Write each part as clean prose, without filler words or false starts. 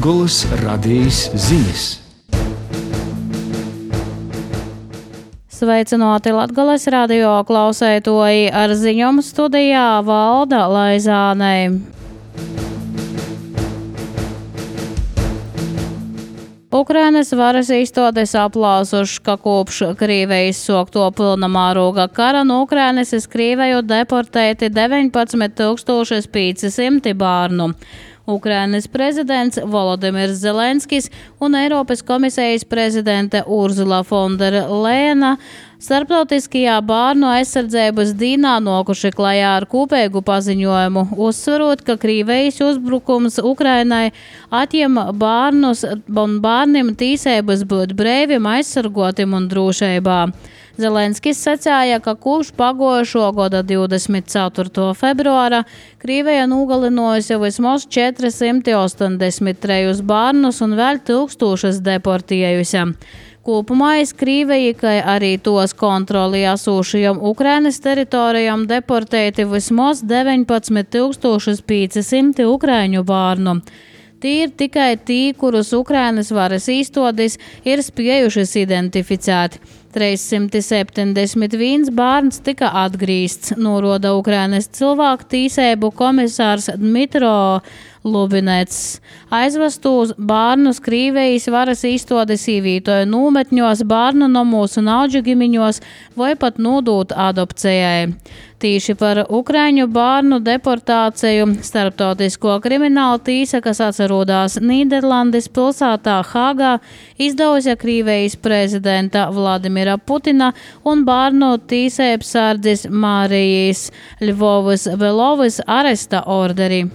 Latgolas radījis ziņas. Sveicināti Latgolas radio klausētoji, ar ziņām studijā Valda Laizānei. Ukrainas varas iestādes aplausuši, ka kopš Krievijas sākto pilnamēroga kara no Ukrainas uz Krieviju deportēti 19,500 bērnu. Ukrainas prezidents Volodimirs Zelenskis un Eiropas komisijas prezidente Urzula von der Leyena starptautiskajā bērnu aizsardzības dienā nokuši klajā ar kopīgu paziņojumu, uzsverot, ka Krievijas uzbrukums Ukrainai atņem bērnus un bērniem tiesības būt brīviem, aizsargotiem un drošībā. Zelenskis sacīja, ka kopš pagājušo gada 24. februāra Krievija nogalinājusi vismaz 483 bērnus un vēl 1000 deportējusi. Kopumā iz Krieviju, kā arī tos kontroli esošajām Ukrainas teritorijām deportēti vismaz 19,500 ukraiņu bērnu. Tie ir tikai tie, kurus Ukrainas varas iestādes ir spējušas identificēt. 371 bērns tika atgriezts, norāda Ukrainas cilvēku tiesību komisārs Dmitro Lubinets. Aizvestos bērnus Krievijas varas iestādes ievietoja nometņos, bērnu nomos un audžu gimiņos vai pat nodot adopcijai. Tīši par ukraiņu bērnu deportāciju starptautisko kriminālu tiesa, kas atrodas Nīderlandes pilsētā Hāgā, izdevusi Krievijas prezidenta Vladimira Putina un bērnu tiesību sardzes Mārijas Ļvovas Belovas aresta orderi.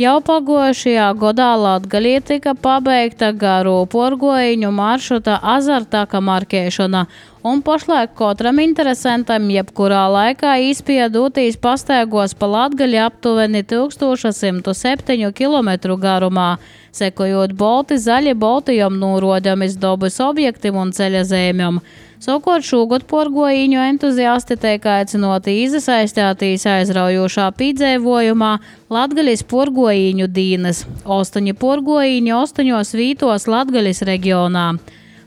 Jau pagājušajā gadā Latgalī tika pabeigta garu porgojiņu maršruta Azartaka markēšana, un pašlaik katram interesantam jebkurā laikā īspēja doties pastaigos pa Latgali aptuveni 1107 km garumā, sekojot balti zaļi baltījām norādāmis dabas objektiem un ceļa zīmēm. Savukārt šogad porgojiņu entuziasti tiek aicināti iesaistīties aizraujošā piedzīvojumā Latgalis porgojiņu dienas. 8 porgojiņi 8 vītos Latgalis reģionā.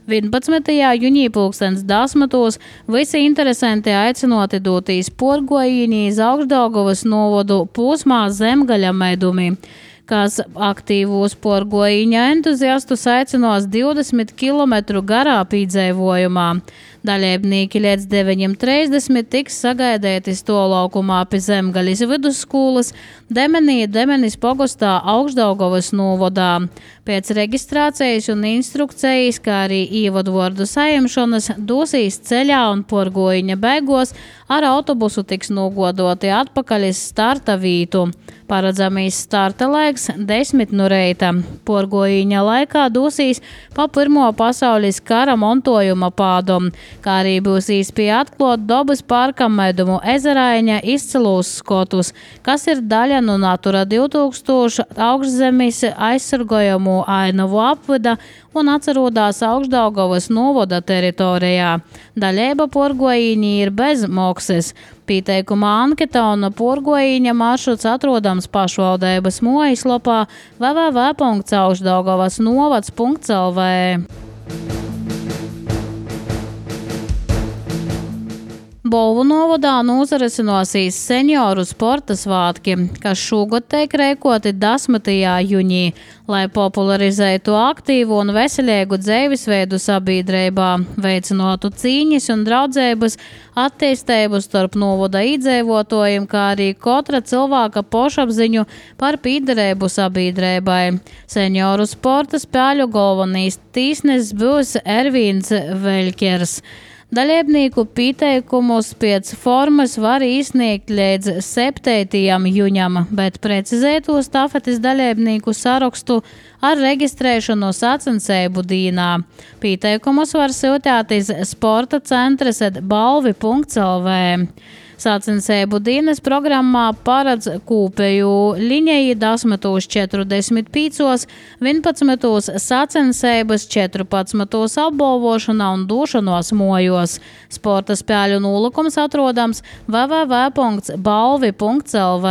11. jūnijā 2010. visi interesanti aicināti doties porgojiņī iz Augšdaugavas novadu posmā Zemgaļa medumi, kas aktīvos porgojiņa entuziastus aicinās 20 km garā piedzīvojumā. Dalībnieki līdz 9:30 tiks sagaidīti stolaukumā pie Zemgaļas vidusskolas Demenis pogostā Augšdaugavas novadā. Pēc reģistrācijas un instrukcijas, kā arī ievadvārdu saimšanas, dosīs ceļā un porgojiņa beigās ar autobusu tiks nogodoti atpakaļ uz starta vītu. Paredzamīs starta laiks 10 no reita. Porgojiņa laikā dosīs pa Pirmo pasaules kara montojuma pādom, kā arī būs īspēja atklāt dabas parka Medumu ezeraiņa izcilūs skotus, kas ir daļa no Natura 2000 augšzemes aizsargājumu ainavu apvida un atrodas Augšdaugavas novada teritorijā. Daļēba porgojiņi ir bez maksas. Pieteikuma anketa un porgojiņa maršruts atrodams pašvaldības mājaslapā www.augšdaugavasnovads.lv. Bolvu novadā nozarisinosies senioru sporta svātki, kas šogad tiek rēkoti 10. jūnijā, lai popularizētu aktīvu un veselīgu dzīvesveidu sabiedrībā, veicinātu cīņas un draudzības attīstību starp novada iedzīvotājiem, kā arī katra cilvēka pašapziņu par piederību sabiedrībai. Senioru sporta spēļu galvenais tīsnis būs Ervīns Veļkers. Dalībnieku pieteikumus pēc formas var izsniegt līdz 7. jūņam, bet precizēto stafetes dalībnieku sarakstu ar reģistrēšanu sacensību dienā. Pieteikumus var sūtīt iz sporta centres balvi.lv. Sacensību dienas programmā paredz kopēju liņeju 10:45, 11 sacensības, 14 apbalvošanā un došanos mojos. Sporta spēļu nolūkums atrodams www.balvi.lv.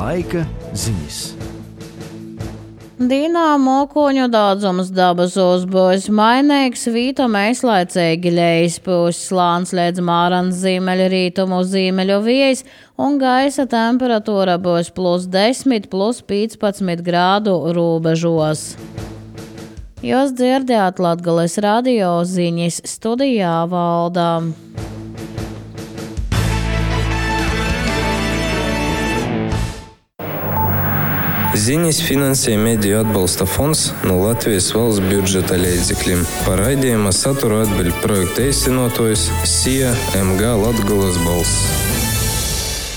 Laika ziņas. Dīnā mokoņu daudzums dabasos būs mainīgs, vītam aizlaicīgi ļejas pūs slāns līdz Mārans ziemeļu rītumu ziemeļu viejas un gaisa temperatūra būs +10, +15 grādu robežos. Jūs dzirdējāt Latgales radio ziņas, studijā Valda. Ziņas finansē Mediju atbalsta fonds no Latvijas valsts budžeta līdzekļiem. Par raidījuma saturu atbild projekta īstenotājs SIA MG Latgales balss.